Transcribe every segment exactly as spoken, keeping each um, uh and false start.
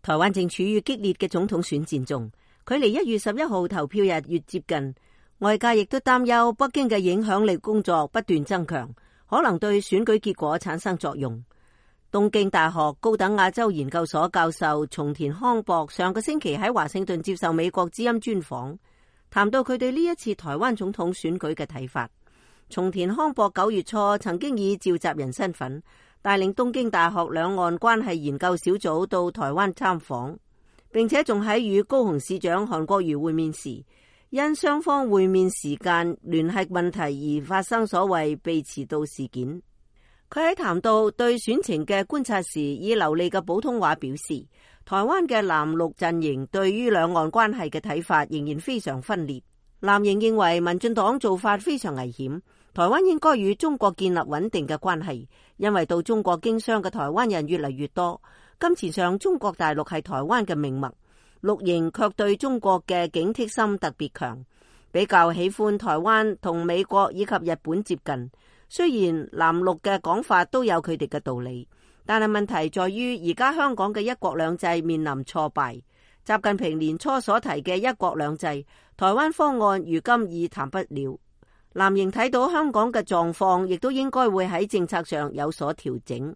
台灣正處於激烈嘅總統選戰中，距離一月十一號投票日越接近，外界亦都擔憂北京嘅影響力工作不斷增強，可能對選舉結果產生作用。東京大學高等亞洲研究所教授松田康博上個星期喺華盛頓接受美國之音專訪，談到佢對呢一次台灣總統選舉嘅睇法。松田康博九月初曾經以召集人身份帶領東京大學兩岸關係研究小組到台灣參訪，並且仲喺與高雄市長韓國瑜會面時，因雙方會面時間聯繫問題而發生所謂被遲到事件。佢喺談到對選情嘅觀察時，以流利嘅普通話表示，台灣嘅藍綠陣營對於兩岸關係嘅睇法仍然非常分裂。藍營認為民進黨做法非常危險，台灣應該與中國建立穩定嘅關係，因為到中國經商嘅台灣人越嚟越多，金錢上中國大陸係台灣嘅命脈。綠營卻對中國嘅警惕心特別強，比較喜歡台灣同美國以及日本接近。雖然藍綠嘅講法都有佢哋嘅道理，但係問題在於而家香港嘅一國兩制面臨挫敗。習近平年初所提嘅一國兩制台灣方案如今已談不了。藍營睇到香港嘅狀況，亦都應該會喺政策上有所調整。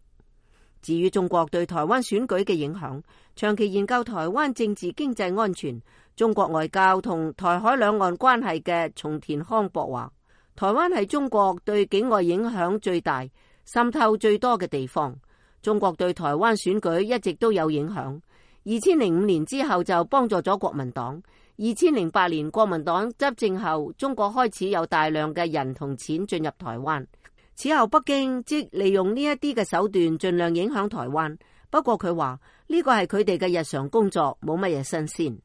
至於中國對台灣選舉嘅影響，長期研究台灣政治經濟安全、中國外交同台海兩岸關係嘅松田康博話，台灣係中國對境外影響最大、滲透最多嘅地方。中國對台灣選舉一直都有影響。二千零五年之後就幫助咗國民黨。二千零八年國民黨執政後，中國開始有大量嘅人同錢進入台灣。此後北京即利用呢一啲嘅手段盡量影響台灣。不過佢話呢個係佢哋嘅日常工作，冇乜嘢新鮮。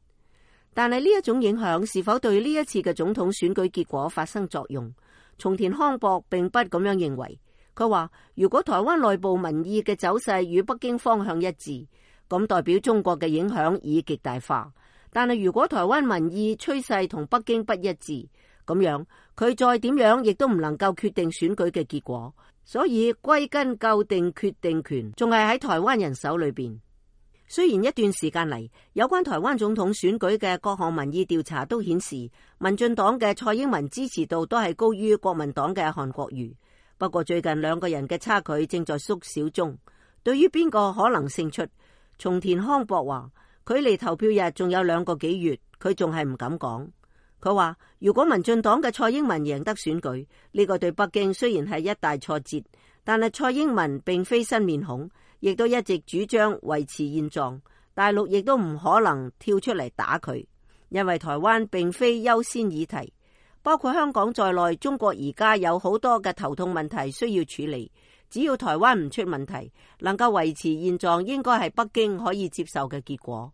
但係呢一種影響是否對呢一次嘅總統選舉結果發生作用？松田康博並不咁樣認為。佢話如果台灣內部民意嘅走勢與北京方向一致，咁代表中國嘅影響已極大化。但係如果台灣民意趨勢同北京不一致，咁樣佢再點樣亦都唔能夠決定選舉嘅結果。所以歸根究底決定權仲係喺台灣人手裏邊。雖然一段時間嚟，有關台灣總統選舉嘅各項民意調查都顯示民進黨嘅蔡英文支持度都係高於國民黨嘅韓國瑜。不過最近兩個人嘅差距正在縮小中。對於邊個可能勝出，松田康博話距離投票日仲有兩個幾月，佢仲係唔敢講。佢話如果民進黨嘅蔡英文贏得選舉，呢個對北京雖然係一大挫折，但係蔡英文並非新面孔，亦都一直主張維持現狀，大陸亦都唔可能跳出嚟打佢，因為台灣並非優先議題。包括香港在內，中國而家有好多嘅頭痛問題需要處理。只要台灣唔出問題，能夠維持現狀，應該係北京可以接受嘅結果。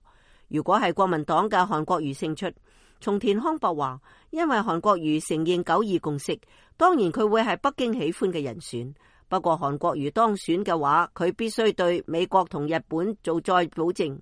如果係國民黨嘅韓國瑜勝出，松田康博話，因為韓國瑜承認九二共識，當然佢會係北京喜歡嘅人選。不過韓國瑜當選嘅話，佢必須對美國同日本做再保證，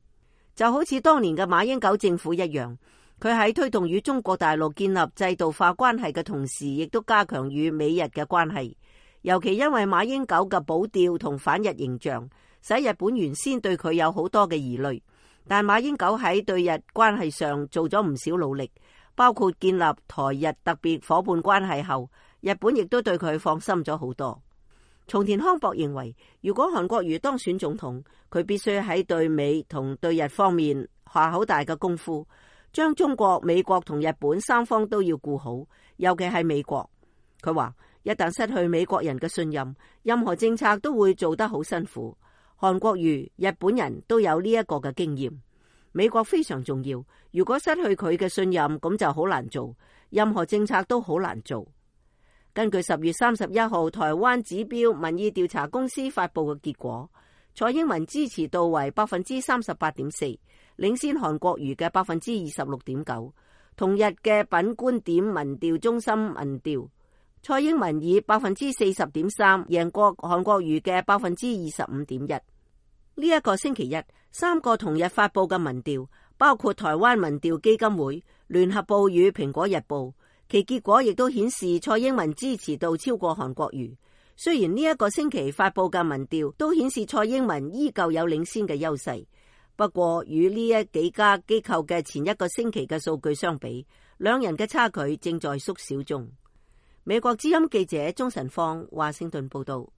就好似當年嘅馬英九政府一樣。佢喺推動與中國大陸建立制度化關係嘅同時，亦都加強與美日嘅關係。尤其因為馬英九嘅保釣同反日形象，使日本原先對佢有好多嘅疑慮。但馬英九喺對日關係上做咗唔少努力，包括建立台日特別夥伴關係後，日本亦都對佢放心咗好多。松田康博認為，如果韓國瑜當選總統，佢必須喺對美同對日方面下好大嘅功夫，將中國、美國同日本三方都要顧好，尤其係美國。佢話一旦失去美國人嘅信任，任何政策都會做得好辛苦。韓國瑜、日本人都有呢一個嘅經驗。美國非常重要，如果失去佢嘅信任，咁就好難做，任何政策都好難做。根據十月三十一號台灣指標民意調查公司發佈嘅結果，蔡英文支持度為百分之三十八點四，領先韓國瑜嘅百分之二十六點九。同日嘅品觀點民調中心民調，蔡英文以百分之四十點三贏過韓國瑜嘅百分之二十五點一。呢一個星期一，三個同日發佈嘅民調，包括台灣民調基金會、聯合報與蘋果日報，其結果亦都顯示蔡英文支持度超過韓國瑜。雖然呢一個星期發佈嘅民調都顯示蔡英文依舊有領先嘅優勢，不過與呢一幾家機構嘅前一個星期嘅數據相比，兩人嘅差距正在縮小中。美國之音記者鍾晨芳華盛頓報道。